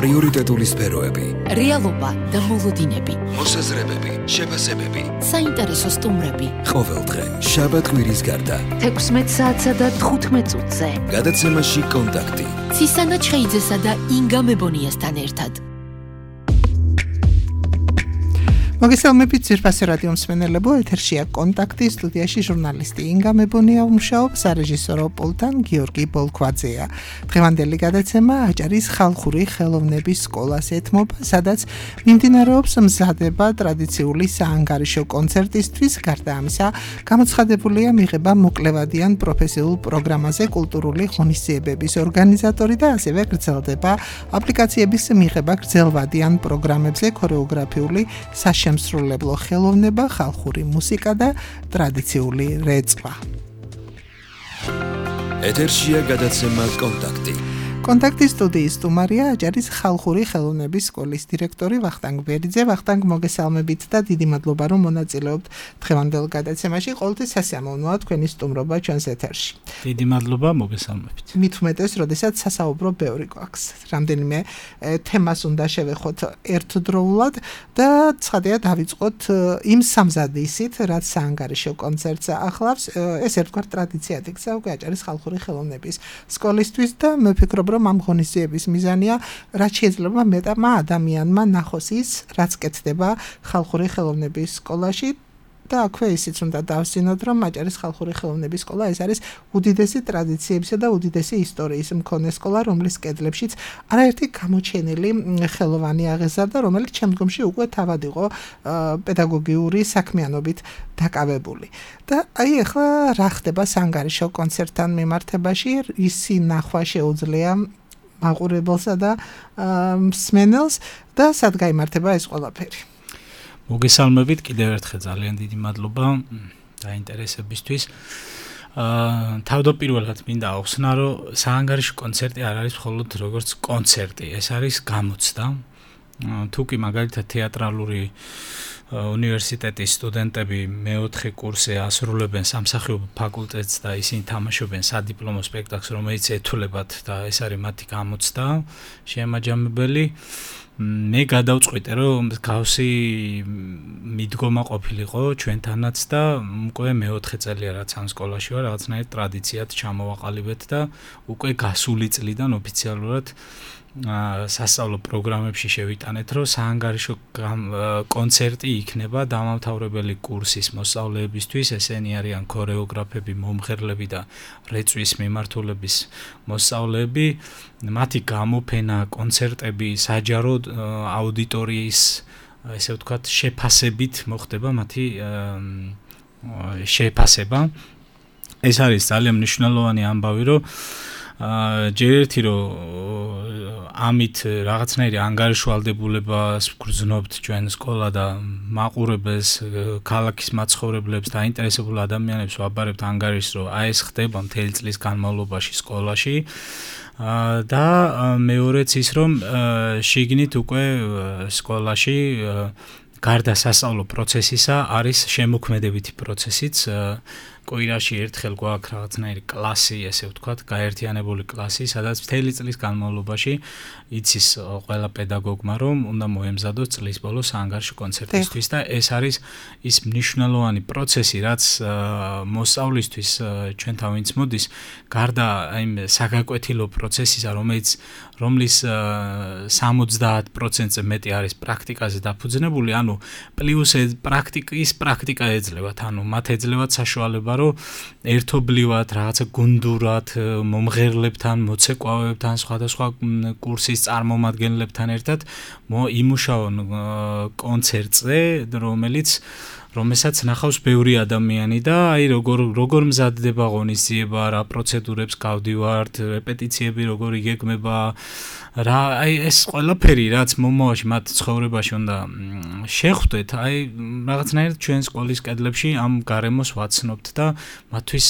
პრიორიტეტული სფეროები, რეალობა და მოლოდინები, მოსაზრებები, შეფასებები, საინტერესო სტუმრები. ყოველდღე, შაბათ-კვირის გარდა, 16 საათსა და 15 წუთზე. გადაცემაში კონტაქტი. ცისანა ჩხეიძესა და ინგა მებონიასთან ერთად. მოგესალმებით ძვირფასი რადიო მსმენელებო, ეთერშია კონტაქტი, სტუდიაში ჟურნალისტი ინგა მებონია მუშაობს, სარეჟისორო პულტთან გიორგი ბოლქვაძეა. დღევანდელი გადაცემა აჭარის ხალხური ხელოვნების სკოლას ეთმობა, სადაც მიმდინარეობს მზადება ტრადიციული საანგარიშო კონცერტისთვის. გარდა ამისა, გამოცხადებულია მიღება მოკლევადიან პროფესიულ პროგრამაზე კულტურული ღონისძიებების ორგანიზატორი და ასევე გრძელდება აპლიკაციების მიღება გრძელვადიან პროგრამებზე ქორეოგრაფიული საშემსრულებლო ხელოვნება, ხალხური მუსიკა და ტრადიციული რეწვა. ეთერშია გადაცემა კონტაქტი. კონტაქტის სტუდიის სტუმარია აჭარის ხალხური ხელოვნების სკოლის დირექტორი ვახტანგ ბერიძე. ვახტანგ, მოგესალმებით და დიდი მადლობა, რომ მონაწილეობთ დღევანდელ გადაცემაში. ყოველთვის სასიამოვნოა თქვენი სტუმრობა ჩვენს ეთერში. დიდი მადლობა, მოგესალმებით. მით უმეტეს, როდესაც სასაუბრო ბევრი გვაქვს. რამდენიმე თემას უნდა შევეხოთ ერთდროულად და ცხადია დავიწყოთ იმ სამზადისით, რაც საანგარიშო კონცერტს ახლავს. ეს ერთგვარ ტრადიციად იქცა უკვე აჭარის ხალხური ხელოვნების სკოლისთვის და მე ვფიქრობ, რომ ამ ღონისძიების მიზანია, რაც შეიძლება მეტმა ადამიანმა ნახოს ის, რაც კეთდება ხალხური ხელოვნების სკოლაში და აქვე ისიც უნდა დავსინოთ, რომ აჭარის ხალხური ხელოვნების სკოლა ეს არის უდიდესი ტრადიციებისა და უდიდესი ისტორიის მქონე სკოლა, რომლის კედლებშიც არაერთი გამოჩენილი ხელოვანი აღეზარდა, რომელიც შემდგომში უკვე თავად იყო პედაგოგიური საქმიანობით დაკავებული. და აი ახლა რა ხდება საანგარიშო კონცერტთან მიმართებაში, ისი ნახვა შეუძლია მაყურებელსა და მსმენელს და სად გაიმართება ეს ყველაფერი. მოგესალმებით, კიდევ ერთხელ ძალიან დიდი მადლობა დაინტერესებისთვის. თავდაპირველად მინდა ახსნა, რომ საანგარიშო კონცერტი არ არის მხოლოდ როგორც კონცერტი, ეს არის გამოცდა. თუკი მაგალითად თეატრალური უნივერსიტეტის სტუდენტები მეოთხე კურსზე ასრულებენ სამსახიობო ფაკულტეტს და ისინი თამაშობენ სადიპლომო სპექტაკლს, რომელიც ეთულებათ და ეს არის მათი გამოცდა შეემაჯამებელი. მე გადავწყვიტე, რომ გავსი მიდგომა ყოფილიყო ჩვენთანაც და უკვე მეოთხე წელია რაც ამ სკოლაში ვარ, რაღაცნაირად ტრადიციად ჩამოვაყალიბეთ და უკვე გასული წლიდან ოფიციალურად სასწავლო პროგრამებში შევიტანეთ, რომ საანგარიშო კონცერტი იქნება დამამთავრებელი კურსის მოსწავლეებისთვის, ესენი არიან ქორეოგრაფები, მომღერლები და რეწვის მიმართულების მოსწავლეები. მათი გამოფენა, კონცერტები საჯარო აუდიტორიის, ესე ვთქვათ, შეფასებით მოხდება მათი შეფასება. ეს არის ძალიან მნიშვნელოვანი ამბავი, რომ ჯერ ერთი რომ ამით რაღაცნაირი ანგარიშვალდებულებას გრძნობთ ჩვენ სკოლა და მაყურებელს, ქალაქის მაცხოვრებლებს და აინტერესებულ ადამიანებს ვაბარებთ ანგარიშს, რომ აი ეს ხდება მთელი წლის განმავლობაში სკოლაში. და მეორეც ის, რომ შიგნით უკვე სკოლაში გარდა სასწავლო პროცესისა არის შემოქმედებითი პროცესიც. კვირაში ერთხელ გვაქვს რაღაცნაირი კლასი, ესე ვთქვათ, გაერთიანებული კლასი, სადაც მთელი წლის განმავლობაში იცის ყველა პედაგოგმა, რომ უნდა მოემზადოს წლის ბოლოს საანგარიშო კონცერტისთვის და ეს არის ის მნიშვნელოვანი პროცესი, რაც მოსწავლისთვის ჩვენთან ვინც მოდის, გარდა იმ საგაკვეთილო პროცესისა, რომლის 70%-ზე მეტი არის პრაქტიკაზე დაფუძნებული, ანუ პლუს პრაქტიკა ეძლევათ, ანუ მათ ეძლევათ საშუალება, რომ ერთობლივად, რაღაცა გუნდურად, მომღერლებთან, მოცეკვავებთან, სხვადასხვა კურსის წარმომადგენლებთან ერთად იმუშაონ კონცერტზე, რომელსაც ნახავს ბევრი ადამიანი და აი როგორ მზადდება ღონისძიება, რა პროცედურებს გავდივართ, რეპეტიციები როგორ იგეგმება, რა აი ეს ყველაფერი რაც მომავალში მათ ცხოვრებაში უნდა შეხვდეთ, აი რაღაცნაირად ჩვენ სკოლის კედლებში ამ გარემოს ვაცნობთ და მათთვის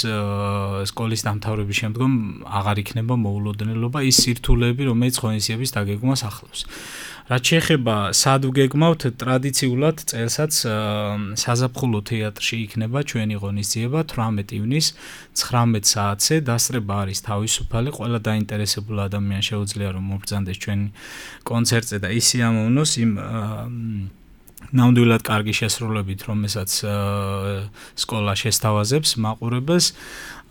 სკოლის დამთავრების შემდგომ აღარ იქნება მოულოდნელობა ის სირთულეები, რომელიც ღონისძიების დაგეგმვას ახლავს. რაც შეეხება სად ვგეგმავთ, ტრადიციულად წელსაც საზაფხულო თეატრში იქნება ჩვენი ღონისძიება 18 ივნისს 19 საათზე. დასწრება არის თავისუფალი, ყველა დაინტერესებული ადამიანი შეუძლია რომ მობრძანდეს ჩვენი კონცერტზე და ისე ამოვნოს იმ ნამდვილად კარგი შესრულებით, რომელსაც სკოლა შესთავაზებს მაყურებელს.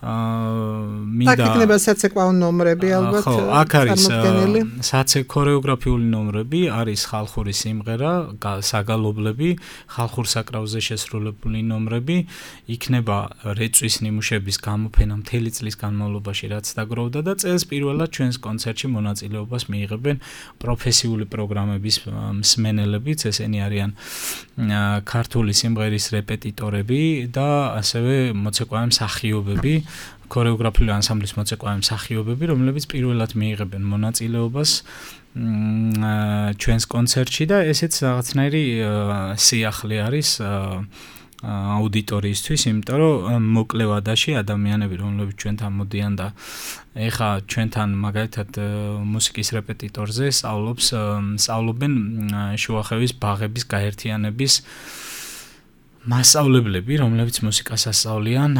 მინდა იქნება საცეკვაო ნომრები ალბათ. ხო, აქ არის ქორეოგრაფიული ნომრები, არის ხალხური სიმღერა, საგალობლები, ხალხურ საკრავზე შესრულებული ნომრები, იქნება რეწვის ნიმუშების გამოფენა მთელი წლის განმავლობაში, რაც დაგროვდა და წელს პირველად ჩვენს კონცერტში მონაწილეობას მიიღებენ პროფესიული პროგრამების მსმენელებიც, ესენი არიან ქართული სიმღერის რეპეტიტორები და ასევე მოცეკვავე მსახიობები, ქორეოგრაფიული ანსამბლის მოცეკვავე მსახიობები, რომლებიც პირველად მიიღებენ მონაწილეობას ჩვენს კონცერტში და ესეც რაღაცნაირი სიახლე არის აუდიტორიისთვის, იმიტომ რომ მოკლე ვადაში ადამიანები, რომლებიც ჩვენთან მოდიან და ეხა ჩვენთან მაგალითად მუსიკის რეპეტიტორზე სწავლობენ შუახევის ბაღების გაერთიანების მასწავლებლები, რომლებიც მუსიკას ასწავლიან,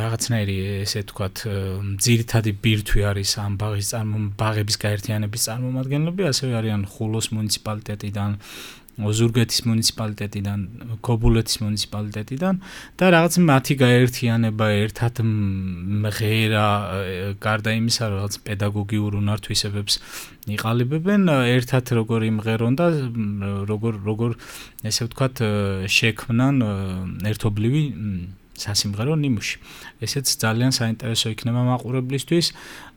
რაღაცნაირი ესე ვთქვათ, ძირითადი ბირთვი არის ამ ბაღების გაერთიანების წარმომადგენლები, ასევე არიან ხულოს მუნიციპალიტეტიდან, ოზურგეთის მუნიციპალიტეტიდან, ქობულეთის მუნიციპალიტეტიდან და რაღაც მათი გაერთიანება ერთად მღერა, გარდა იმისა, რომ რაღაც პედაგოგიურ უნართვისებებს იყალიბებენ, ერთად როგორ იმღერონ და როგორ ესე ვთქვათ, შექმნან ერთობლივი სასიმღერო ნიმუში. ესეც ძალიან საინტერესო იქნება მაყურებლისთვის.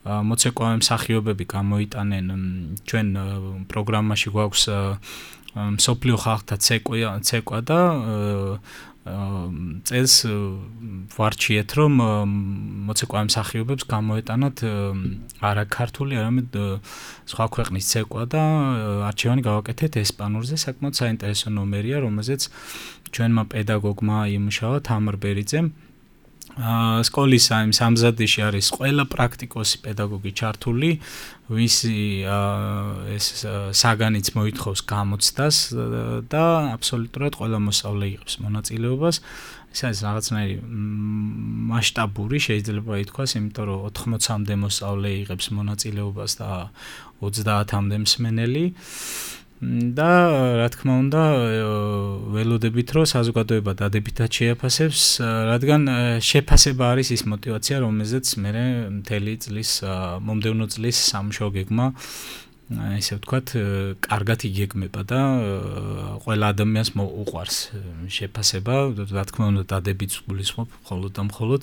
მოცეკვავე მსახიობები გამოიტანენ ჩვენ პროგრამაში გვაქვს მსოფლიო ხალხთა ცეკვა და წელს ვარჩიეთ რომ მოცეკვავე მსახიობებს გამოეტანათ არა ქართული, არამედ სხვა ქვეყნის ცეკვა და არჩევანი გავაკეთეთ ესპანურზე. საკმაოდ საინტერესო ნომერია, რომელზეც ჩვენმა პედაგოგმა იმუშავა თამარ ბერიძემ. სკოლის ამ სამზადიში არის ყველა პრაქტიკოსი პედაგოგი ჩართული, ვისი ეს საგანიც მოითხოვს გამოცდას და აბსოლუტურად ყველა მოსწავლე იღებს მონაწილეობას. ეს არის რაღაცნაირი მასშტაბური, შეიძლება ითქვას, იმიტომ რომ 80-მდე მოსწავლე იღებს მონაწილეობას და 30-მდე მსმენელი. და რა თქმა უნდა ველოდებით რომ საზოგადოება დადებითად შეაფასებს, რადგან შეფასება არის ის мотиваცია, რომელზეც მე მთელი წლის მომდევნო წლის სამუშაო გეგმა ესე ვთქვათ, კარგად იგეგმება და ყველა ადამიანს უყვარს შეფასება, რა თქმა უნდა დადებითს გულისხმობ მხოლოდ და მხოლოდ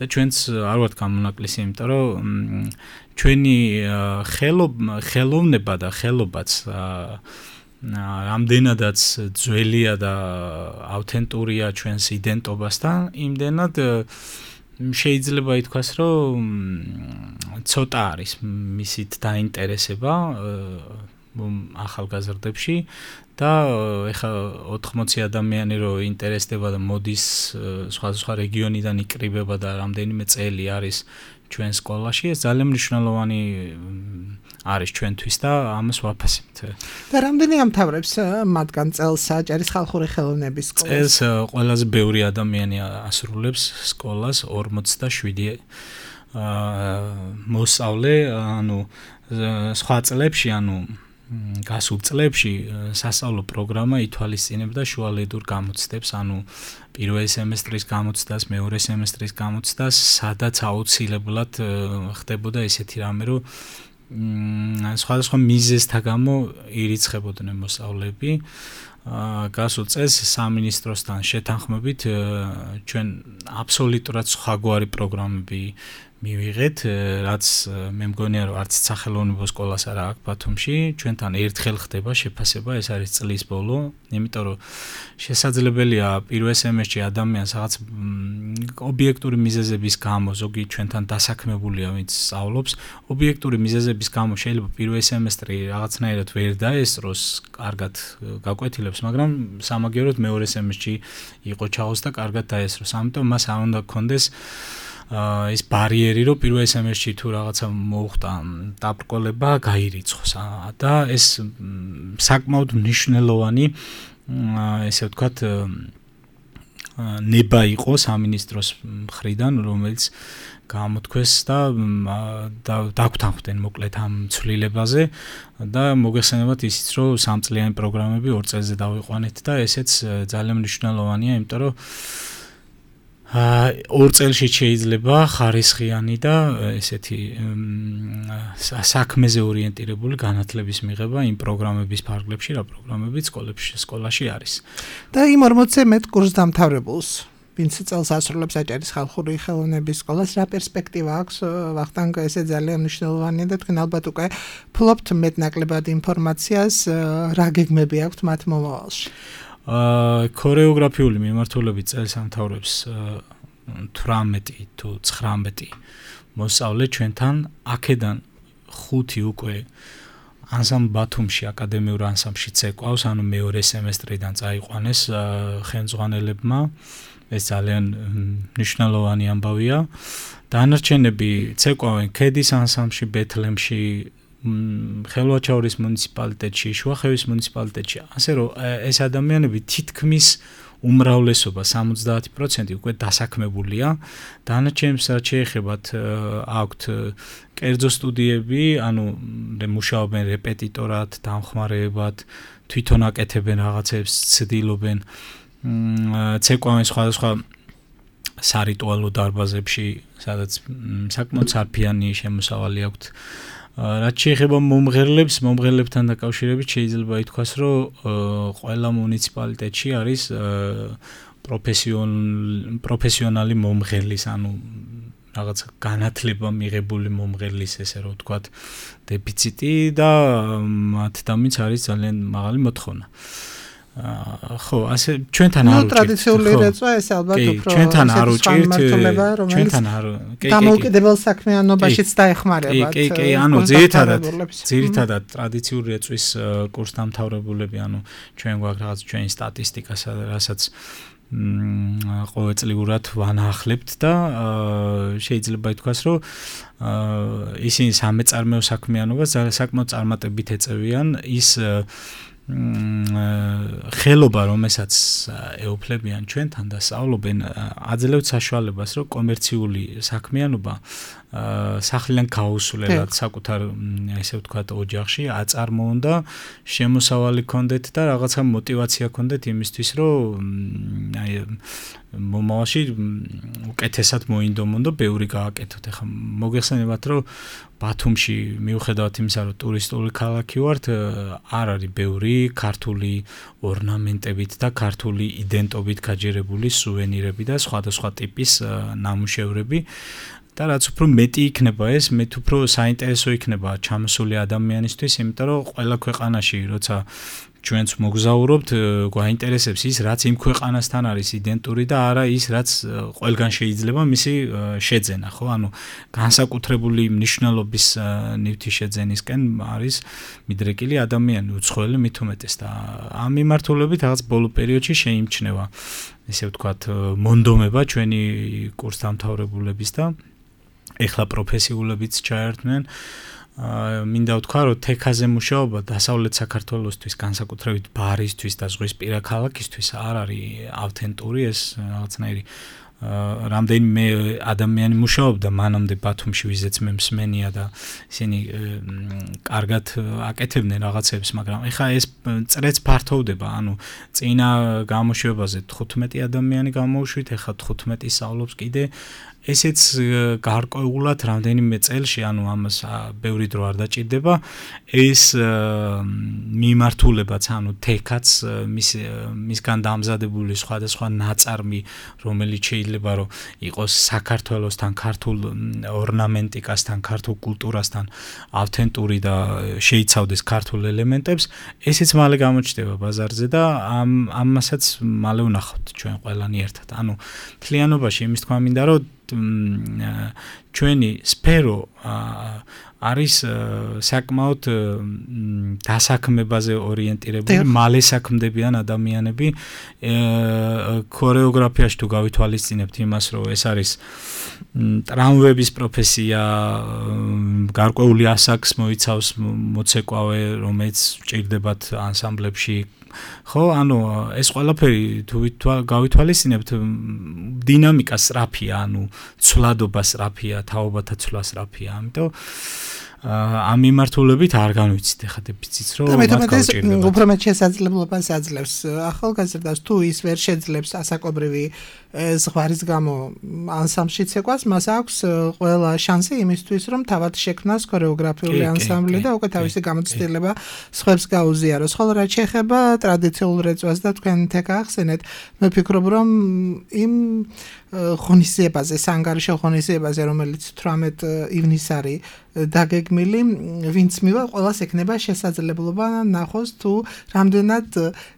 და ჩვენც არ ვართ გამონაკლისი, იმიტომ რომ ჩვენი ხელოვნება და ხელობაც რამდენადაც ძველია და ავთენტურია ჩვენს იდენტობასთან, იმდენად შეიძლება ითქვას, რომ ცოტა არის მისით დაინტერესება ახალგაზრდებში და ეხა 80 ადამიანი რო ინტერესდება და მოდის სხვა რეგიონიდან იკრიბება და რამდენიმე წელი არის ჩვენ სკოლაში, ეს ძალიან მნიშვნელოვანი არის ჩვენთვის და ამას ვაფასებთ. და რამდენი ამთავრებს მათგან წელს საჯარის ხალხური ხელოვნების სკოლას? წელს ყველაზე ბევრი ადამიანი ასრულებს სკოლას 47 მოსწავლე, ანუ სხვა წლებში, ანუ გასულ წლებში სასწავლო პროგრამა ითვალისწინებდა შუალედურ გამოცდებს, ანუ პირველი სემესტრის გამოცდას, მეორე სემესტრის გამოცდას, სადაც აუცილებლად ხდებოდა ესეთი რამე, რომ სხვადასხვა მიზეზთა გამო ირიცხებოდნენ მოსწავლეები. გასულ წელს სამინისტროსთან შეთანხმებით ჩვენ აბსოლუტურად სხვაგვარი პროგრამები მივიღეთ, რაც მე მგონია რომ არც სახელოვნებო სკოლას არა აქვს ბათუმში, ჩვენთან ერთხელ ხდება შეფასება, ეს არის წლის ბოლო, იმიტომ რომ შესაძლებელია პირველ სემესტრში ადამიანს რაღაც ობიექტური მიზეზების გამო, ზოგი ჩვენთან დასაქმებულია, ვინც სწავლობს, ობიექტური მიზეზების გამო შეიძლება პირველ სემესტრი რაღაცნაირად ვერ დაესწროს, კარგად გაკვეთილებს, მაგრამ სამაგიეროდ მეორე სემესტრში იყო ჩაოს და კარგად დაესწროს. ამიტომ მას არ უნდა გქონდეს ეს ბარიერი, რომ პირველ სემესტრში თუ რაღაცა მოუხდა დაბრკოლება, გაირიცხოს და ეს საკმაოდ მნიშვნელოვანი ესე ვთქვათ ნება იყო სამინისტროს მხრიდან, რომელიც გამოთქვეს და დაგვთანხმდნენ მოკლედ ამ ცვლილებაზე და მოგეხსენებათ ისიც, რომ 3 წლიანი პროგრამები 2 წელზე დავიყვანეთ და ესეც ძალიან მნიშვნელოვანია, იმიტომ რომ 2 წელში შეიძლება ხარისხიანი და ესეთი საქმეზე ორიენტირებული განათლების მიღება იმ პროგრამების ფარგლებში, რა პროგრამებიც სკოლაში არის. და იმ 40-ზე მეტ კურსდამთავრებულს ვინც წელს ასრულებს აჭარის ხალხური ხელოვნების სკოლას, რა პერსპექტივა აქვს? ვახტანგ, ესე ძალიან მნიშვნელოვანია და თქვენ ალბათ უკვე ფლობთ მეტნაკლებად ინფორმაციას, რა გეგმები აქვთ მათ მომავალში? ქორეოგრაფიული მიმართულებით წელს ამთავრებს 18 თუ 19 მოსწავლე ჩვენთან, აქედან 5 უკვე ანსამბლ ბათუმში აკადემიურ ანსამბლში წეკვავს, ანუ მეორე სემესტრიდან წაიყვანეს ხელმძღვანელებმა. ეს ძალიან მნიშვნელოვანი ამბავია. დანარჩენები წეკვავენ ქედის ანსამბლში, ბეთლემში, ხელვაჩაურის მუნიციპალიტეტში, შუახევის მუნიციპალიტეტში. ასე რომ ეს ადამიანები თითქმის უმრავლესობა 70% უკვე დასაქმებულია. დანარჩენებს რაც შეეხებათ აქვთ კერძო სტუდიები, ანუ მუშაობენ რეპეტიტორად, დამხმარეებად, თვითონ აკეთებენ რაღაცებს, ცდილობენ ცეკვავენ სხვადასხვა სარიტუალო დარბაზებში, სადაც საკმაოდ სარფიანი შემოსავალი აქვთ. რაც შეეხება მომღერლებთან დაკავშირებით შეიძლება ითქვას, რომ ყველა მუნიციპალიტეტში არის პროფესიონალი მომღერლის, ანუ რაღაც განათლება მიღებული მომღერლის, ესე რომ ვთქვათ, დეფიციტი და მათ დამიც არის ძალიან მაღალი მოთხოვნა. ხო, ასე ჩვენთან არ უჭირთ. ტრადიციული რეწვა ეს ალბათ უფრო ჩვენთან არ უჭირთ. ჩვენთან არ დამოუკიდებელ საქმიანობაშიც დაეხმარება. კი, ანუ ძირითადად ტრადიციული რეწვის კურსდამთავრებულები, ანუ ჩვენ გვაქვს რაღაც ჩვენი სტატისტიკა, რასაც ყოველწლიურად ვანაახლებთ და შეიძლება ითქვას, რომ ისინი სამეწარმეო საქმიანობას საკმაოდ წარმატებით ეწევიან. ის ხელობა, რომელსაც ეუფლებიან ჩვენთან და სწავლობენ, აძლევთ საშუალებას, რომ კომერციული საქმიანობა სახლიდან გაუსვლელად საკუთარ, ესე ვთქვათ, ოჯახში აწარმოონ და შემოსავალი ქონდეთ და რაღაცა мотиваცია ქონდეთ იმისთვის, რომ მომავალში უკეთესად მოინდომონ და ბევრი გააკეთოთ. ეხლა მოგეხსენებათ, რომ ბათუმში მიუხედავად იმისა, რომ ტურისტული ქალაქი ვართ, არ არის ბევრი ქართული ორნამენტებით და ქართული იდენტობით გაჯერებული სუვენირები და სხვადასხვა ტიპის ნამუშევრები. და რაც უფრო მეტი იქნება ეს, მეტ უფრო საინტერესო იქნება ჩამოსული ადამიანისთვის, იმიტომ რომ ყველა ქვეყანაში, როცა ჩვენც მოგზაურობთ, გვაინტერესებს ის, რაც იმ ქვეყანასთან არის იდენტური და არა ის, რაც ყველგან შეიძლება მისი შეძენა, ხო? ანუ განსაკუთრებული მნიშვნელობის ნივთი შეძენისკენ არის მიდრეკილი ადამიანი, უცხოელი მით უმეტეს და ამ მიმართულებით რაღაც ბოლო პერიოდში შეიმჩნევა, ესე ვთქვათ, მონდომება ჩვენი კურსდამთავრებულების და ეხლა პროფესიულებიც ჩაერთნენ. მინდა ვთქვა, რომ თექაზე მუშაობა დასავლეთ საქართველოსთვის, განსაკუთრებით ბარისთვის და ზღვისპირა ქალაქისთვის არ არის ავთენტური, ეს რაღაცნაირი რამდენიმე ადამიანი მუშაობდა მანამდე ბათუმში, ვიზეც მე მსმენია და ისინი კარგად აკეთებდნენ რაღაცებს, მაგრამ ეხლა ეს წრეც ფართოვდება, ანუ წინა გამოშვებაზე 15 ადამიანი გამოვშვით, ეხლა 15 სწავლობს კიდე. ესეც გარკვეულად რამდენიმე წელში, ანუ ამას ბევრი დრო არ დაჭირდება, ეს მიმართულებაც, ანუ თექაც მისგან დამზადებული სხვადასხვა ნაწარმი, რომელიც შეიძლება რომ იყოს საქართველოსთან, ქართულ ორნამენტიკასთან, ქართულ კულტურასთან ავთენტური და შეიცავდეს ქართულ ელემენტებს, ესეც მალე გამოჩნდება ბაზარზე და ამასაც მალე ვნახავთ ჩვენ ყველანი ერთად. ანუ მთლიანობაში იმის თქვა მინდა, რომ ჩვენი სფერო არის საკმაოდ დასაქმებაზე ორიენტირებული, მალე საქმდებიან ადამიანები. ქორეოგრაფიაში თუ გავითვალისწინებთ იმას, რომ ეს არის ტრამვების პროფესია, გარკვეული ასაკს მოიცავს მოცეკვავე, რომელიც ჭირდებათ ანსამბლებში. ხო, ანუ ეს ყველაფერი თუ გავითვალისწინებთ, დინამიკა სწრაფია, ანუ ცვლადობა სწრაფია, თაობათა ცვლა სწრაფია, ამიტომ ამ მიმართულებით არ განვიცით ახლა დეფიციტს, რომ მათ გავჭირდებათ. უფრო მეტ შესაძლებლობას აძლევს ახალგაზრდას, თუ ის ვერ შეძლებს ასაკობრივი ზღვარის გამო ანსამბლში ცეკვას, მას აქვს ყველა შანსი იმისთვის, რომ თავად შექმნას ქორეოგრაფიული ანსამბლი და უკვე თავისი გამოცდილება სხვებს გაუზიაროს. ხოლო რაც შეეხება ტრადიციულ რეწვას და თქვენ თქ ახსენეთ, მე ვფიქრობ, რომ იმ ღონისძიებაზე, საანგარიშო ღონისძიებაზე, რომელიც 18 ივნისს არის დაგეგმილი, ვინც მივა, ყველას ექნება შესაძლებლობა ნახოს თუ რამდენად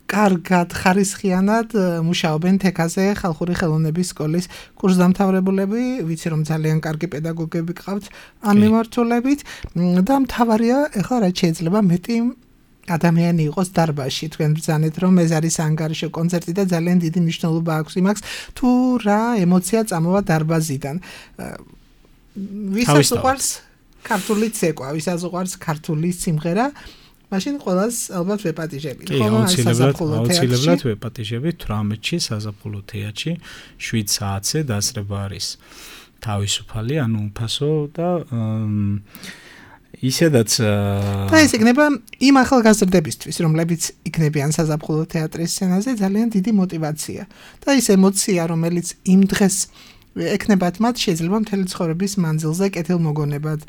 კარგად, ხარისხიანად მუშაობენ თქ-ზე ხალხური ხელოვნების სკოლის კურსდამთავრებულები, ვიცი რომ ძალიან კარგი პედაგოგები გყავთ ამ მიმართულებით და მთავარია ეხლა რაც შეიძლება მეტი ადამიანი იყოს დარბაზში. თქვენ ბრძანეთ რომ ეს არის ანგარიშო კონცერტი და ძალიან დიდი მნიშვნელობა აქვს იმას თუ რა ემოცია წამოვა დარბაზიდან. ვისაც უყვარს ქართული ცეკვა, ვისაც უყვარს ქართული სიმღერა, მაშინ ყველას ალბათ ვეპატიჟებით. აუცილებლად ვეპატიჟებით 18-ში საზაფხულო თეატრში 7 საათზე დასწრება არის თავისუფალი, ანუ უფასო და ისედაც და ეს იქნება იმ ახალგაზრდებისთვის, რომლებიც იქნებიან საზაფხულო თეატრის სცენაზე, ძალიან დიდი мотиваცია და ის ემოცია, რომელიც იმ დღეს ექნებათ მათ, შეიძლება მთელი ცხოვრების მანძილზე კეთილმოგონებად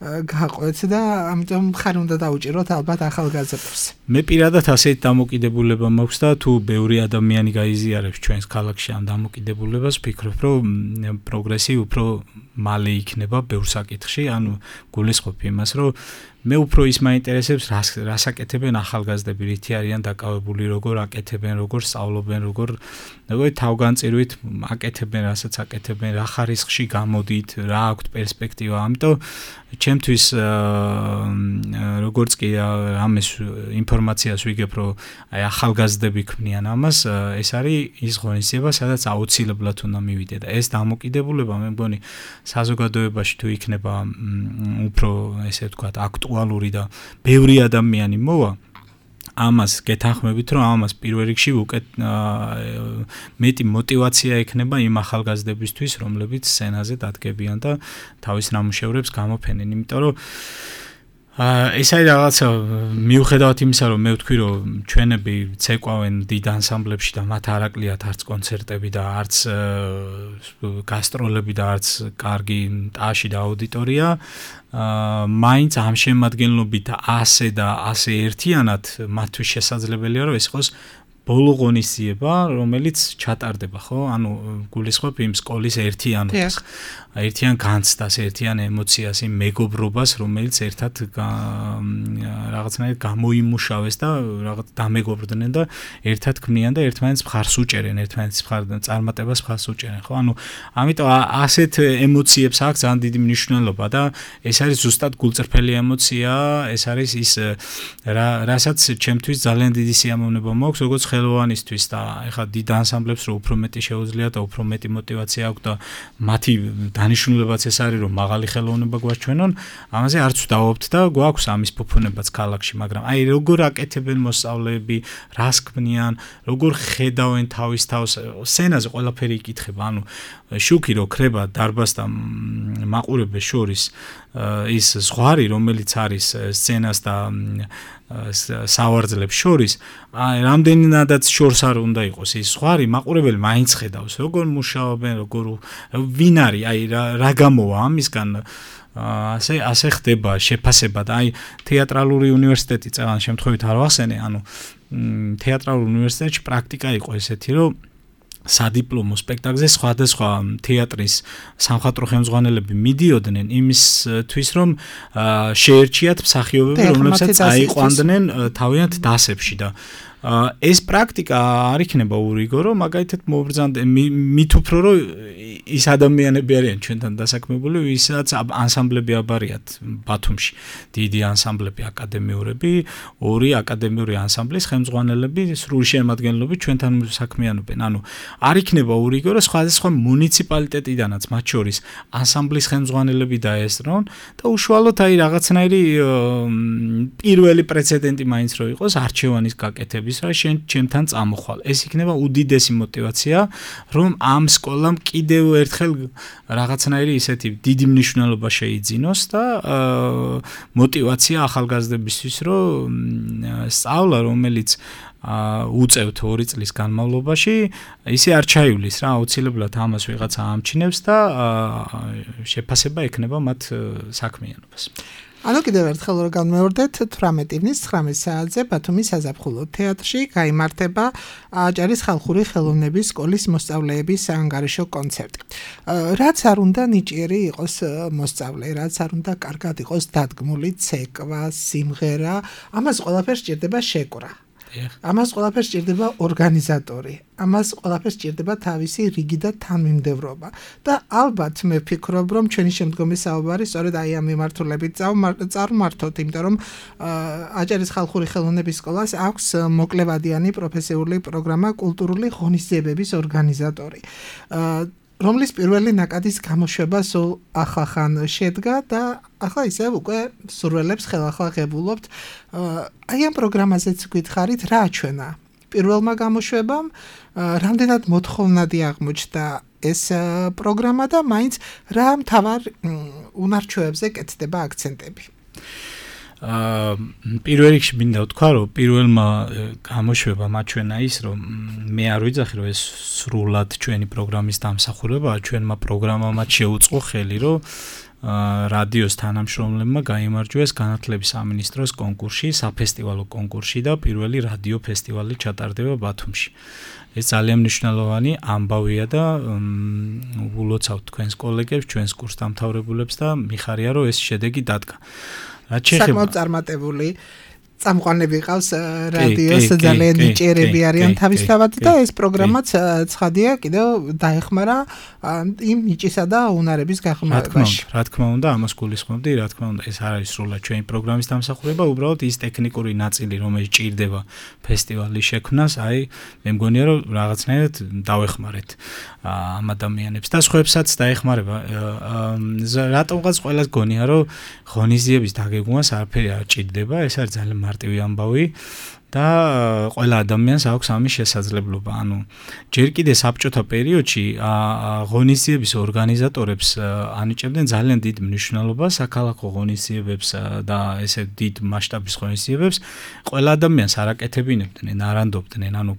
გაყვეთ და ამიტომ ხარ უნდა დაუჭიროთ ალბათ ახალგაზრდებს. მე პირადად ასეთ დამოკიდებულება მაქვს და თუ ბევრი ადამიანი გაიზიარებს ჩვენს ქალაქში ამ დამოკიდებულებას, ვფიქრობ, რომ პროგრესი უფრო მალე იქნება ბევრ საკითხში, ანუ გულისხმობ იმას, რომ მე უფრო ის მაინტერესებს, რას აკეთებენ ახალგაზრდები, რითი არიან დაკავებული, როგორ აკეთებენ, როგორ სწავლობენ, როგორ თავგანწირვით აკეთებენ, რასაც აკეთებენ, რა ხარისხში გამოდით, რა აქვთ პერსპექტივა. ამიტომ ჩემთვის როგორც კი ამის ინფორმაციას ვიგებ, რომ აი ახალგაზრდები ქმნიან ამას, ეს არის ის ღონისძიება, სადაც აუცილებლად უნდა მივიდე და ეს დამოკიდებულება მე მგონი საზოგადოებაში თუ იქნება უფრო ესე ვთქვათ აქტუალური და ბევრი ადამიანი მოვა, ამას გეთანხმებით, რომ ამას პირველ რიგში უკეთ მეტი мотиваცია ექნება იმ ახალგაზრდებისთვის, რომლებიც სცენაზე დადგებიან და თავის ნამუშევრებს გამოფენენ, იმიტომ რომ ეს არის რაღაცა მიუხედავად იმისა, რომ მე ვთქვი, რომ ჩვენები ცეკვავენ დიდ ანსამბლებში და მათ არ აკლიათ არც კონცერტები და არც გასტროლები და არც კარგი ტაში და აუდიტორია, მაინც ამ შემადგენლობით ასე და ასე ერთიანად მათთვის შესაძლებელია, რომ ეს იყოს ბოლო ღონისძიება, რომელიც ჩატარდება, ხო? ანუ გულისხმობ იმ სკოლის ერთიანობას, ერთიან განცდას, ერთიან ემოციას, იმ მეგობრობას, რომელიც ერთად რაღაცნაირად გამოიმუშავეს და რაღაც დამეგობრდნენ და ერთად ქმნიან და ერთმანეთს მხარს უჭერენ, ერთმანეთის წარმატებას მხარს უჭერენ, ხო? ანუ ამიტომ ასეთ ემოციებს აქვს ძალიან დიდი მნიშვნელობა და ეს არის ზუსტად გულწრფელი ემოცია, ეს არის ის რასაც ჩემთვის ძალიან დიდი სიამოვნება მაქვს, როგორც ხელოვანისთვის და ეხლა დიდ ანსამბლებს რო უფრო მეტი შეუძლია და უფრო მეტი мотиваცია აქვს და მათი დანიშნულებაც ეს არის რომ მაღალი ხელოვნება გვაჩვენონ, ამაზე არც ვდაობთ და გვაქვს ამის ფუფუნებაც ქალაქში, მაგრამ აი როგორ აკეთებენ მოსწავლეები, რას ქმნიან, როგორ ხედავენ თავის თავს, სცენაზე ყველაფერი იკითხება, ანუ შუქი რო ქრება დარბაზთან მაყურებელს შორის ის ზღვარი, რომელიც არის სცენას და სავარძლებს შორის, რამდენადაც შორს არ უნდა იყოს ის ზღვარი, მაყურებელი მაინც ხედავს, როგორ მუშაობენ, როგორ ვინ არის, აი რა გამოვა ამისგან, ასე ხდება შეფასება და აი თეატრალური უნივერსიტეტი წელან შემთხვევით არ ვახსენე, ანუ თეატრალურ უნივერსიტეტში პრაქტიკა იყო ესეთი, რომ სადიპლომო სპექტაკლზე სხვადასხვა თეატრის სამხატვრო ხელმძღვანელები მიდიოდნენ იმისთვის, რომ შეერჩიათ მსახიობები, რომლებსაც აიყვანდნენ თავიანთ დასებში და ეს პრაქტიკა არ იქნება ურიგო, რომ მაგალითად მოვბრძანდე მით უფრო რომ ის ადამიანები არიან ჩვენთან დასაქმებული, ვისაც ანსამბლები აბარიათ ბათუმში. დიდი ანსამბლები აკადემიურები, 2 აკადემიური ანსამბლის ხელმძღვანელები სრული შემადგენლობით ჩვენთან საქმიანობენ. ანუ არ იქნება ურიგო, რომ სხვადასხვა მუნიციპალიტეტიდანაც მათ შორის ანსამბლის ხელმძღვანელები დაესწრონ და უშუალოდ აი რაღაცნაირი პირველი პრეცედენტი მაინც რო იყოს არჩევანის გაკეთების, რა ჩემთან წამოხვალ. ეს იქნება უდიდესი мотиваცია, რომ ამ სკოლამ კიდევ ერთხელ რაღაცნაირი ისეთი დიდი მნიშვნელობა შეიძინოს და мотиваცია ახალგაზრდებისთვის, რომ სწავლა, რომელიც უწევთ 2 წლის განმავლობაში, ისე არ ჩაივლის რა, აუცილებლად ამას ვიღაცა ამჩნევს და შეფასება ექნება მათ საქმიანობას. ანუ კიდევ ერთხელ რომ განმეორდეთ 18 ივნის 19 საათზე ბათუმის საზაფხულო თეატრში გაიმართება აჭარის ხალხური ხელოვნების სკოლის მოსწავლეების საანგარიშო კონცერტი. რაც არ უნდა ნიჭიერი იყოს მოსწავლე, რაც არ უნდა კარგად იყოს დადგმული ცეკვა, სიმღერა, ამას ყველაფერს სჭირდება შეკვრა. ამას ყველაფერს სჭირდება ორგანიზატორი, ამას ყველაფერს სჭირდება თავისი რიგი და თანმიმდევრობა და ალბათ მე ვფიქრობ, რომ ჩვენი შემდგომი საუბარი სწორედ აი ამ მიმართულებით წარმართოთ, იმიტომ რომ აჭარის ხალხური ხელოვნების სკოლას აქვს მოკლევადიანი პროფესიული პროგრამა კულტურული ღონისძიებების ორგანიზატორი. რომლის პირველი ნაკადის გამოშვება სულ ახახან შედგა და ახლა ისევ უკვე სურველებს ხელახლა-ღებულობთ. აი ამ პროგრამაზეც გითხარით, რა აჩვენა პირველმა გამოშვებამ, რამდენად მოთხოვნადი აღმოჩნდა ეს პროგრამა და მაინც რა მთავარ უნარჩვევებზე კეთდება აქცენტები. პირველ რიგში მინდა ვთქვა, რომ პირველმა გამოშვებამ აჩვენა ის, რომ მე არ ვიძახი, რომ ეს სრულად ჩვენი პროგრამის დამსახურებაა, ჩვენმა პროგრამამაც შეუწყო ხელი, რომ რადიოს თანამშრომლებმა გაიმარჯვეს განათლების სამინისტროს კონკურსში, საფესტივალო კონკურსში და პირველი რადიო ფესტივალი ჩატარდება ბათუმში. ეს ძალიან მნიშვნელოვანი ამბავია და ულოცავთ თქვენს კოლეგებს, ჩვენს კურსდამთავრებულებს და მიხარია, რომ ეს შედეგი დადგა. საკმაოდ წარმატებული წამყვანები ყავს რადიოს, ძალიან ნიჭიერები არიან თავისთავად და ეს პროგრამაც ცხადია კიდევ დაეხმარა იმ ნიჭისა და უნარების გაღრმავებაში. რა თქმა უნდა, ამას გულისხმობდი, რა თქმა უნდა, ეს არ არის სრულად ჩვენი პროგრამის დამსახურება, უბრალოდ ის ტექნიკური ნაწილი, რომელიც ჭირდება ფესტივალის შექმნას, აი, მე მგონია, რომ რაღაცნაირად დავეხმარეთ ამ ადამიანებს და სხვაებსაც დაეხმარება. რატომღაც ყველას გონია, რომ ღონისძიების დაგეგმვას არაფერი არ ჭირდება, ეს არის ძალიან მარტივი ამბავი და ყველა ადამიანს აქვს ამის შესაძლებლობა. ანუ ჯერ კიდე საბჭოთა პერიოდში ღონისძიების ორგანიზატორებს ანიჭებდნენ ძალიან დიდ მნიშვნელობას საქალაქო ღონისძიებებს და ესე დიდ მასშტაბის ღონისძიებებს. ყველა ადამიანს არ აკეთებინებდნენ, არ ანდობდნენ, ანუ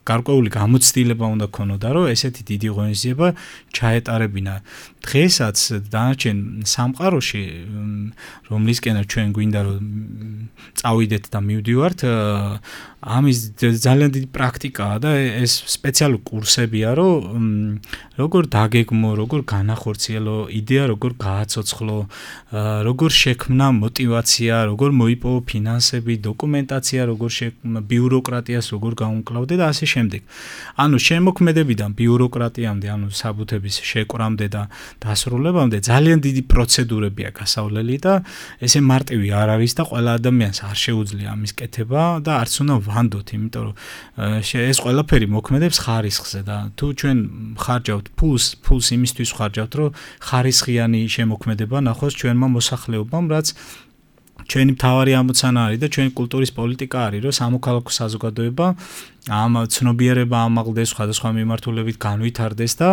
გარკვეული გამოცდილება უნდა ქონოდა, რომ ესეთი დიდი ღონისძიება ჩაეტარებინა. დღესაც დანარჩენ სამყაროში, რომლისკენაც ჩვენ გვინდა რომ წავიდეთ და მივდივართ, ამის ძალიან დიდი პრაქტიკაა და ეს სპეციალური კურსებია, რომ როგორ დაგეგმო, როგორ განახორციელო იდეა, როგორ გააცოცხლო, როგორ შექმნა мотиваცია, როგორ მოიპოვო ფინანსები, დოკუმენტაცია, როგორ ბიუროკრატიას როგორ გაუმკლავდე და ასე შემდეგ. ანუ შემოქმედებიდან ბიუროკრატიამდე, ანუ საბუთების შეკვრამდე და დასრულებამდე ძალიან დიდი პროცედურებია გასავლელი და ესე მარტივი არ არის და ყველა ადამიანს არ შეუძლია ამის კეთება და არც უნდა ვანდოთ, იმიტომ რომ ეს ყველაფერი მოქმედებს ხარისხზე და თუ ჩვენ ხარჯავთ ფულს იმისთვის ხარჯავთ, რომ ხარისხიანი შემოქმედება ნახოს ჩვენმა მოსახლეობამ, რაც ჩვენი მთავარი ამოცანა არის და ჩვენი კულტურის პოლიტიკა არის, რომ სამოქალაქო საზოგადოება ამ ცნობიერება ამაღლდეს, სხვადასხვა მიმართულებით განვითარდეს და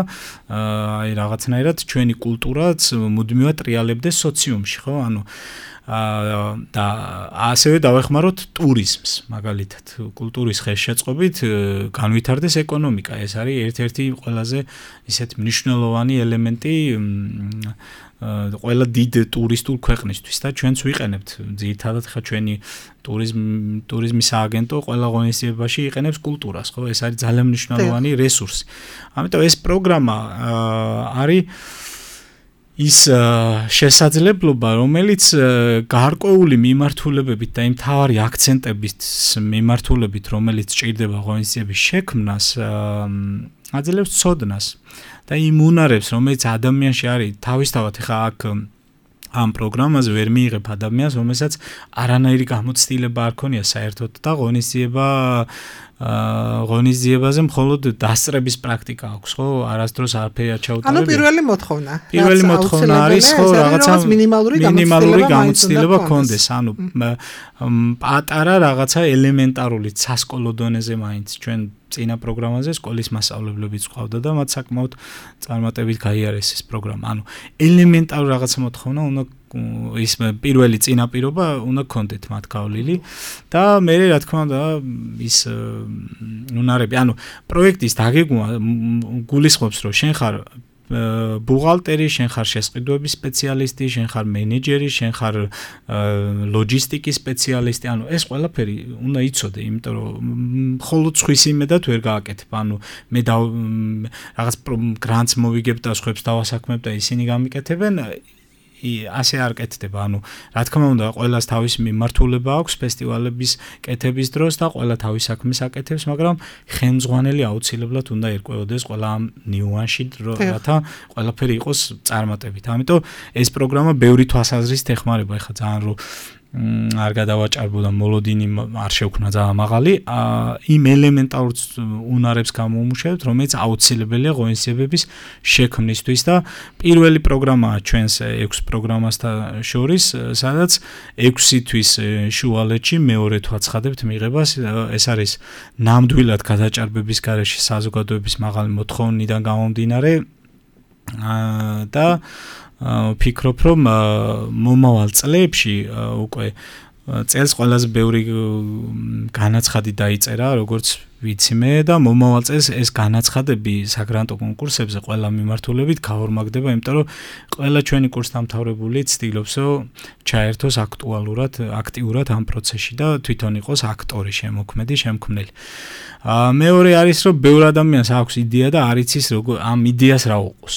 აი რაღაცნაირად ჩვენი კულტურაც მუდმივად ტრიალებდეს სოციუმში, ხო? ანუ და ასევე დავეხმაროთ ტურიზმს, მაგალითად, კულტურის ხელშეწყობით განვითარდეს ეკონომიკა. ეს არის ერთ-ერთი ყველაზე ისეთ მნიშვნელოვანი ელემენტი ყველა დიდ ტურისტულ ქვეყნისთვის და ჩვენც ვიყენებთ ძირითადად ხა ჩვენი ტურიზმის სააგენტო ყველა ღონისძიებაში იყენებს კულტურას, ხო? ეს არის ძალიან მნიშვნელოვანი რესურსი. ამიტომ ეს პროგრამა არის ის შესაძლებლობა, რომელიც გარკვეული მიმართულებებით და იმ თავარი აქცენტებით მიმართულებით, რომელიც ჭირდება ღონისძიების შექმნას, აძლევს ცოდნას და იმ უნარებს, რომელიც ადამიანში არის, თავისთავად ხა აქ ამ პროგრამაზე ვერ მიიღებ ადამიანს, რომელსაც არანაირი გამოცდილება არ ქონია საერთოდ და ღონისძიებაზე მხოლოდ დასწრების პრაქტიკა აქვს, ხო? არასდროს არაფერი არ ჩაუტარებია. ანუ პირველი მოთხოვნა. პირველი მოთხოვნა არის, ხო, რაღაცა მინიმალური გამოცდილება ქონდეს, ანუ პატარა რაღაცა ელემენტარული სასკოლო დონეზე მაინც ჩვენ წინა პროგრამაზე სკოლის მასწავლებლებიც ყავდა და მათ საკმაოდ წარმატებით გაიარეს ეს პროგრამა. ანუ ელემენტარული რაღაცა მოთხოვნა უნდა ის პირველი წინაპირობა უნდა გქონდეთ მათ გავლილი და მე რა თქმა უნდა ის უნარები, ანუ პროექტის დაგეგმვა გულისხმობს, რომ შენ ხარ ბუღალტერი, შენ ხარ შესყიდვების სპეციალისტი, შენ ხარ მენეჯერი, შენ ხარ ლოჯისტიკის სპეციალისტი, ანუ ეს ყველაფერი უნდა იცოდე, იმიტომ რომ მხოლოდ ხვის იმედად ვერ გააკეთებ, ანუ მე რაღაც გრანტს მოვიგებ და სხვებს დავასაქმებ და ისინი გამიკეთებენ, ასე არ კეთდება, ანუ რა თქმა უნდა ყველას თავის მიმართულება აქვს ფესტივალების კეთების დროს და ყველა თავის საქმეს აკეთებს, მაგრამ ხელმძღვანელი აუცილებლად უნდა ერკვეოდეს ყველა ამ ნიუანსში, რათა ყველაფერი იყოს წარმატებით. ამიტომ ეს პროგრამა ბევრი თვალსაზრისით ეხმარება, ეხლა ძალიან რომ არ გადავაჭარბო და მოლოდინი არ შევქნა ძალიან მაღალი, იმ ელემენტარულ უნარებს გამომუშავებთ, რომელიც აუცილებელია ღონისძიებების შექმნისთვის და პირველი პროგრამაა ჩვენს 6 პროგრამასთან შორის, სადაც 6 თვის შუალედში მეორედ ვაცხადებთ მიღებას, ეს არის ნამდვილად გადაჭარბების გარეშე საზოგადოების მაღალი მოთხოვნიდან გამომდინარე და ვფიქრობ, რომ მომავალ წლებში უკვე წელს ყველაზე ბევრი განაცხადი დაიწერა, როგორც ვიცი მე და მომავალ წელს ეს განაცხადები საგრანტო კონკურსებზე ყველა მიმართულებით გაორმაგდება, იმიტომ რომ ყველა ჩვენი კურსდამთავრებული ცდილობს, რომ ჩაერთოს აქტიურად ამ პროცესში და თვითონ იყოს აქტორი, შემოქმედი, შემქმნელი. მეორე არის, რომ ბევრ ადამიანს აქვს იდეა და არ იცის ამ იდეას რა უყოს,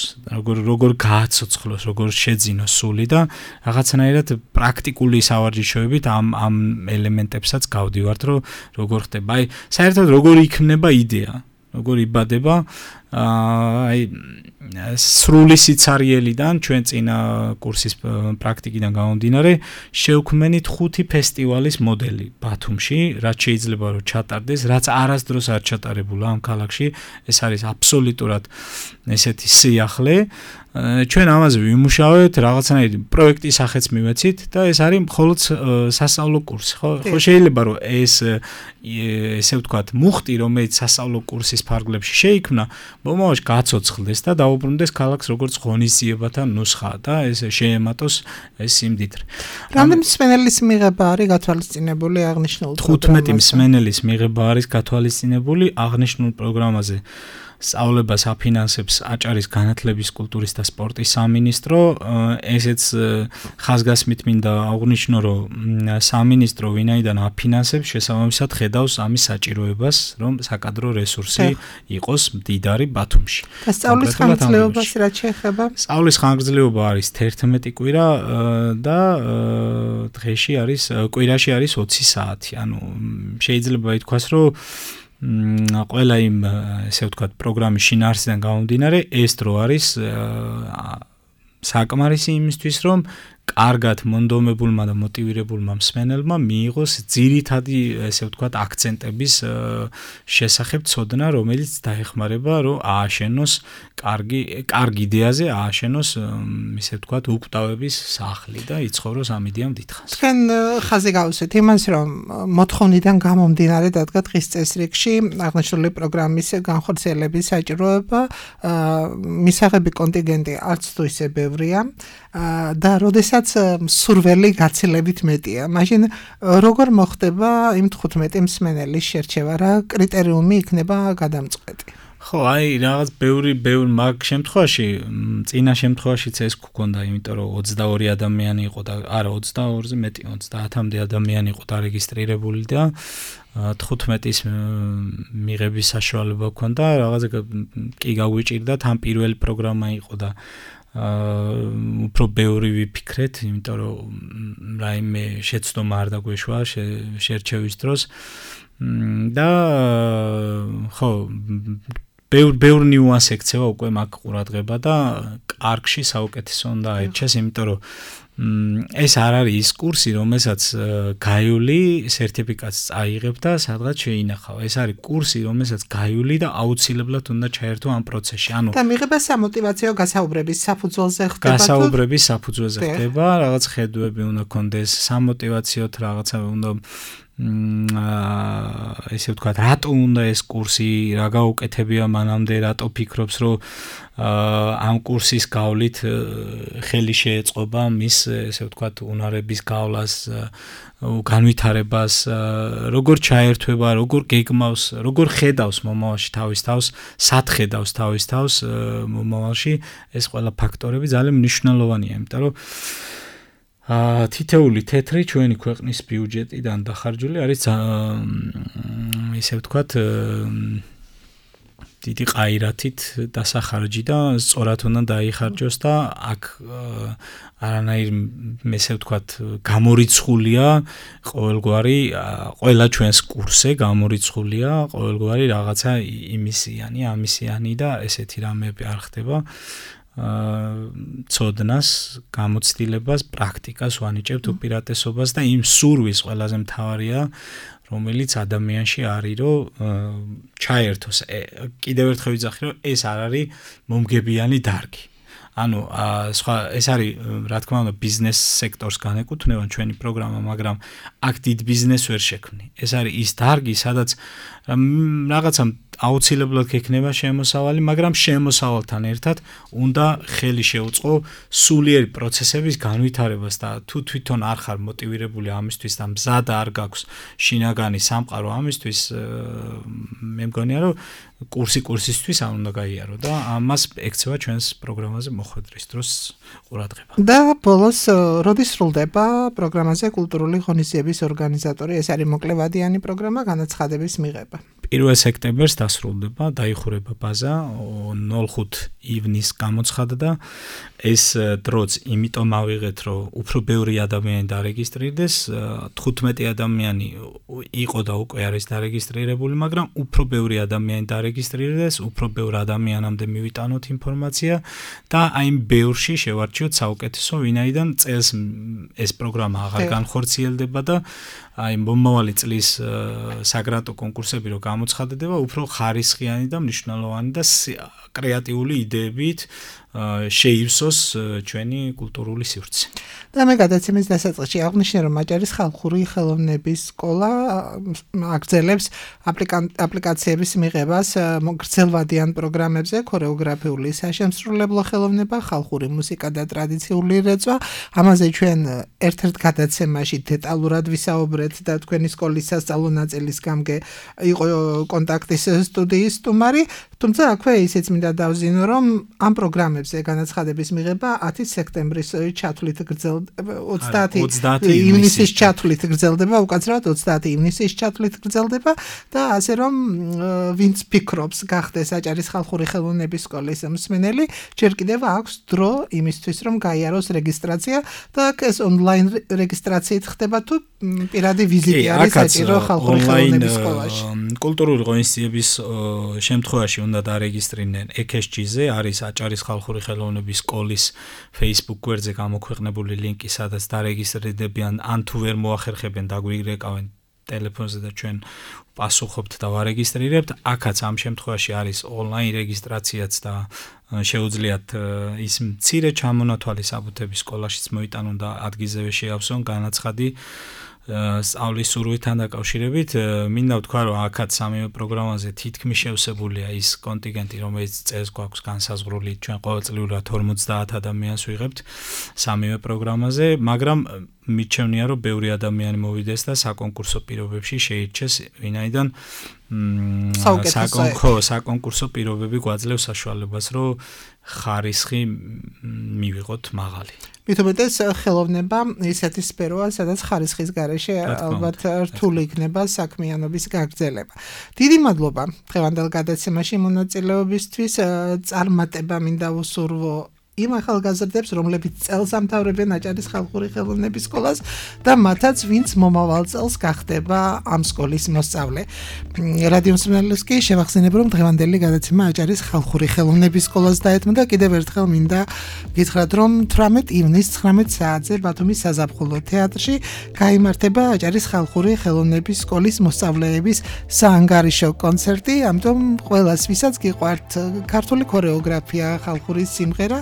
როგორ გააცოცხლოს, როგორ შეძინოს სული და რაღაცნაირად პრაქტიკული სავარჯიშოებით ამ ელემენტებსაც გავდივართ, რომ როგორ ხდება. აი, საერთოდ როგორ იქნება იდეა, როგორ იბადება, აი სრული სიცარიელიდან ჩვენ წინა კურსის პრაქტიკიდან გამომდინარე შევქმნით 5 ფესტივალის მოდელი ბათუმში, რაც შეიძლება რომ ჩატარდეს, რაც არასდროს არ ჩატარებულა ამ ქალაქში, ეს არის აბსოლუტურად ესეთი სიახლე. ჩვენ ამაზე ვიმუშავებთ, რაღაცნაირი პროექტის სახეც მივეცით და ეს არის მხოლოდ სასწავლო კურსი, ხო? ხო შეიძლება რომ ესე ვთქვათ, მუხტი, რომელიც სასწავლო კურსის ფარგლებში შეიქმნა, მომავალში გაცოცხლდეს და დაუბრუნდეს ქალაქს როგორც ღონისძიებათა ნუსხა და ეს შეემატოს ეს სიმდიდრე. რამდენი მსმენელის მიღება არის გათვალისწინებული აღნიშნულ პროგრამაზე? 15 მსმენელის მიღება არის გათვალისწინებული აღნიშნულ პროგრამაზე. სწავლებას აფინანსებს აჭარის განათლების, კულტურის და სპორტის სამინისტრო. ესეც ხაზგასმით მინდა აღვნიშნო, რომ სამინისტრო ვინაიდან აფინანსებს, შესაბამისად ხედავს ამის საჭიროებას, რომ საკადრო რესურსი იყოს მდიდარი ბათუმში. და სწავლის ხანგრძლივობას რაც შეეხება? სწავლის ხანგრძლივობა არის 11 კვირა და დღეში არის კვირაში არის 20 საათი. ანუ შეიძლება ითქვას, რომ ყველა იმ ესე ვთქვათ პროგრამის შინაარსიდან გამომდინარე ეს დრო არის საკმარისი იმისთვის რომ კარგად მონდომებულმა და მოტივირებულმა მსმენელმა მიიღოს ძირითადი ესე ვთქვათ აქცენტების შესახებ ცოდნა, რომელიც დაეხმარება რომ ააშენოს კარგი იდეაზე ააშენოს ისე ვთქვათ უკვდავების სახლი და იცხოვროს ამ იდეამ დიდხანს. თქვენ ხაზი გავუსვით იმას, რომ მოთხოვნიდან გამომდინარე დადგა დღის წესრიგში აღნიშნული პროგრამის განხორციელების საჭიროება, მისაღები კონტინგენტი არც თუ ისე ბევრია და როდესაც სურველი გაცილებით მეტია. მაშინ როგორ მოხდება იმ 15 მსმენელის შერჩევა, რა კრიტერიუმი იქნება გადამწყვეტი? ხო, აი რაღაც ბევრი მაგ შემთხვევაში, წინა შემთხვევაშიც ეს გქონდა, იმიტომ რომ 22 ადამიანი იყო და არა 22-ზე მეტი, 30-მდე ადამიანი იყო დარეგისტრირებული და 15-ის მიღების საშუალება ჰქონდა, რაღაცა კი გაგვიჭირდათ, ამ პირველი პროგრამა იყო და უფრო ბევრი ვიფიქრეთ, იმიტომ რომ რაიმე შეცდომა არ დაგვეშვა შერჩევის დროს და ხო ბევრ ნიუანს ექცევა უკვე მაგ ყურადღება და კარგში საუკეთესო უნდა აირჩიეს, იმიტომ რომ ეს არ არის ის კურსი, რომელსაც გაიული სერტიფიკატს წაიღებ და სადღაც შეინახავ. ეს არის კურსი, რომელსაც გაიული და აუცილებლად უნდა ჩაერთო ამ პროცესში. და მიიღება სამოტივაციო გასაუბრების საფუძველზე ხდება. გასაუბრების საფუძველზე ხდება, რაღაც ხედვები უნდა კონდეს, სამოტივაციოთ რაღაცა უნდა ესე ვთქვათ, რატო უნდა ეს კურსი, რა გაუკეთებია მანამდე, რატო ფიქრობს, რომ ამ კურსის გავლით ხელი შეეწყობა მის, ესე ვთქვათ, უნარების გავლას, განვითარებას, როგორ ჩაერთვება, როგორ გეგმავს, როგორ ხედავს მომავალში თავის თავს, სად ხედავს თავის თავს მომავალში, ეს ყველა ფაქტორები ძალიან მნიშვნელოვანია, იმიტომ რომ თითეული თეთრი ჩვენი ქვეყნის ბიუჯეტიდან დახარჯული არის ისე ვთქვათ დიდი ყაირათით დასახარჯი და სწორად უნდა დაიხარჯოს და აქ არანაირ ესე ვთქვათ გამორიცხულია ყოველგვარი ყველა ჩვენს კურსზე გამორიცხულია ყოველგვარი რაღაცა იმისიანი ამისიანი და ესეთი რამეები არ ხდება ცოდნას, გამოცდილებას, პრაქტიკას ვანიჭებთ უპირატესობას და იმ სურვილს ყველაზე მთავარია, რომელიც ადამიანში არის, რომ ჩაერთოს. კიდევ ერთხელ ვიძახი, რომ ეს არ არის მომგებიანი დარგი. ანუ სხვა ეს არის, რა თქმა უნდა, ბიზნეს სექტორს განეკუთვნება ჩვენი პროგრამა, მაგრამ აქ დიდ ბიზნესს ვერ შექმნი. ეს არის ის დარგი, სადაც რაღაცა აუცილებლად გექნება შემოსავალი, მაგრამ შემოსავალთან ერთად უნდა ხელი შეუწყო სულიერი პროცესების განვითარებას და თუ თვითონ არ ხარ მოტივირებული ამისთვის და მზად არ გაქვს შინაგანი სამყარო ამისთვის, მე მგონია, რომ კურსისთვის არ უნდა გაიარო და ამას ექცევა ჩვენს პროგრამაზე მოხვედრის დროს ყურადღება. და ბოლოს როდის სრულდება პროგრამაზე კულტურული ღონისძიების ორგანიზატორი? ეს არის მოკლევადიანი პროგრამა, განაცხადების მიღება. 1 სექტემბერს დასრულდება, დაიხურება ბაზა, 05 ივნისს გამოცხადდა და ეს დროც იმიტომ ავიღეთ, რომ უფრო ბევრი ადამიანი დარეგისტრირდეს, 15 ადამიანი იყო და უკვე არის დარეგისტრირებული, მაგრამ უფრო ბევრი ადამიანი დარეგისტრირდეს, უფრო ბევრ ადამიანამდე მივიტანოთ ინფორმაცია და აი იმ ბევრში შევარჩიოთ საუკეთესო, ვინაიდან წელს ეს პროგრამა აღარ განხორციელდება და აი მომავალი წლის საგრანტო კონკურსები რო გამოცხადდება, უფრო ხარისხიანი და მნიშვნელოვანი და კრეატიული იდეებით შეივსოს ჩვენი კულტურული სივრცე. და მე გადაცემის დასაწყისში აღნიშნე, რომ მაჭარის ხალხური ხელოვნების სკოლა აგრძელებს აპლიკაციების მიღებას გრძელვადიან პროგრამებზე, ქორეოგრაფიული საშემსრულებლო ხელოვნება, ხალხური მუსიკა და ტრადიციული რეწვა. ამაზე ჩვენ ერთ-ერთ გადაცემაში დეტალურად ვისაუბრეთ და თქვენი სკოლის სასწავლო ნაწილის გამგე იყო კონტაქტის სტუდიის სტუმარი, თუმცა აქვე ისიც მინდა დავზინო, რომ ამ პროგრამებზე განაცხადების მიღება 10 სექტემბრის ჩათვლით გრძელდება, 30 ივნისის ჩათვლით გრძელდება, უკაცრავად 30 ივნისის ჩათვლით გრძელდება და ასე რომ ვინც ფიქრობს გახდეს აჭარის ხალხური ხელოვნების სკოლის მსმენელი, ჯერ კიდევ აქვს დრო იმისთვის, რომ გაიაროს რეგისტრაცია და ეს ონლაინ რეგისტრაციით ხდება თუ პირადი ვიზიტი არის საჭირო ხალხური ხელოვნების სკოლაში. კულტურული ღონისძიების შემთხვევაში უნდა დარეგისტრირდნენ EKSG-ზე, არის აჭარის ხალხური ხელოვნების სკოლის Facebook გვერდზე გამოქვეყნებული ლინკი, სადაც დარეგისტრირდებიან, ან თუ ვერ მოახერხებენ დაგვირეკავენ ტელეფონზე და ჩვენ პასუხობთ და ვარეგისტრირებთ. აქაც ამ შემთხვევაში არის ონლაინ რეგისტრაციაც და შეუძლიათ ის მცირე ჩამონათვალი საბუთების სკოლაშიც მოიტანონ და ადგილზევე შეავსონ განაცხადი სწავლის სურვილთან დაკავშირებით. მინდა ვთქვა, რომ აქაც სამივე პროგრამაზე თითქმის შევსებულია ის კონტინგენტი, რომელიც წელს გვაქვს განსაზღვრული, ჩვენ ყოველწლიურად 50 ადამიანს ვიღებთ სამივე პროგრამაზე, მაგრამ მიჩვენია, რომ ბევრი ადამიანი მოვიდეს და საკონკურსო პირობებში შეირჩეს, ვინაიდან საკონკურსო პირობები გვაძლევს საშუალებას, რომ ხარისხი მივიღოთ მაღალი. მithumetes ხელოვნება ისეთი სფეროა, სადაც ხარისხის გარეშე ალბათ რთული იქნება საქმიანობის გაგრძელება. დიდი მადლობა დღევანდელ გადაცემაში მონაწილეობისთვის. წარმატება მინდა უსურვო იმ ახალგაზრდებს, რომლებიც წელს ამთავრებენ აჭარის ხალხური ხელოვნების სკოლას და მათაც, ვინც მომავალ წელს გახდება ამ სკოლის მოსწავლე. რადიო მსმენელს კი შევახსენებ, რომ დღევანდელი გადაცემა აჭარის ხალხური ხელოვნების სკოლას დაეთმო და კიდევ ერთხელ მინდა გითხრათ, რომ 18 ივნისს 19 საათზე ბათუმის საზაფხულო თეატრში გაიმართება აჭარის ხალხური ხელოვნების სკოლის მოსწავლეების საანგარიშო კონცერტი, ამიტომ ყველას ვისაც გიყვართ ქართული ქორეოგრაფია, ხალხური სიმღერა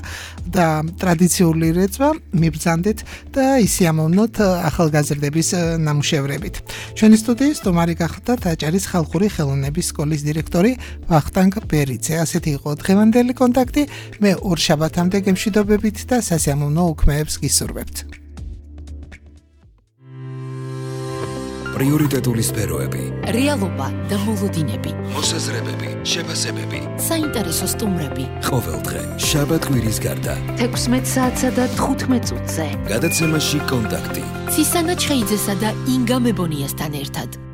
და ტრადიციული რეწვა, მიბრძანდეთ და ისიამოვნოთ ახალგაზრდების ნამუშევრებით. ჩვენი სტუდიის სტუმარი გახლდათ აჭარის ხალხური ხელოვნების სკოლის დირექტორი ვახტანგ ბერიძე. ასეთი იყო დღევანდელი კონტაქტი. მე ორ შაბათამდე გემშვიდობებით და სასიამოვნო უქმეებს გისურვებთ. პრიორიტეტული სფეროები, რეალობა და მოლოდინები, მოსაზრებები, შეფასებები. საინტერესო სტუმრები. ყოველდღე, შაბათ-კვირის გარდა. 16 საათსა და 15 წუთზე. გადაცემაში კონტაქტი. ცისანა ჩხეიძესა და ინგა მებონიასთან ერთად.